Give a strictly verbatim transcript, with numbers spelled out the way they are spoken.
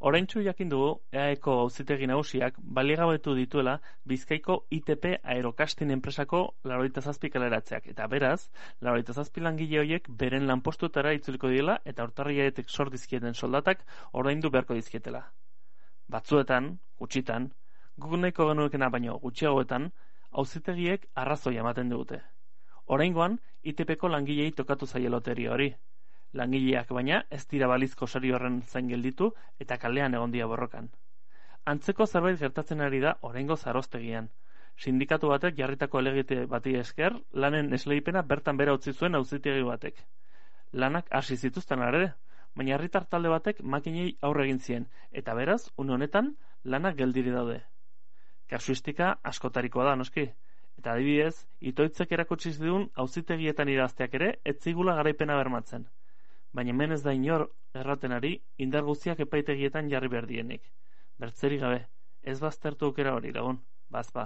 Oraintsu jakin dugu eaeko auzitegi nagusiak baliogabetu dituela Bizkaiko I T P Aerokastin enpresako laurogeita zazpi kaleratzeak, eta beraz, laurogeita zazpi langile horiek beren lanpostutara itzuliko diela eta urtarriletik sor dizkieten soldatak ordaindu beharko dizkietela. Batzuetan, gutxitan, guk nahiko genuekena baino gutxiagoetan, auzitegiek arrazoi ematen dute. Oraingoan, I T Pko langilei tokatu zaie loteria hori. Langileak baina ez dira balizko sari horren zain gelditu eta kalean egon dira borrokan. Antzeko zerbait gertatzen ari da oraingo zaroztegian. Sindikatu batek jarritako helegite bati esker, lanen esleipena bertan bera utzi zuen auzitegi batek. Lanak hasi zituzten ere, baina herritar talde batek makinei aurre egin zien, eta beraz, une honetan, lanak geldiri daude. Kasuistika askotarikoa da, noski. Eta adibidez, itoitzek erakutsi zidun auzitegietan idazteak ere ez zigula garaipena bermatzen. Baina hemen ez da inor erraten ari indar guztiak epaitegietan jarri behar dienik. Bertzerik gabe, ez baztertu aukera hori lagun, bazpa.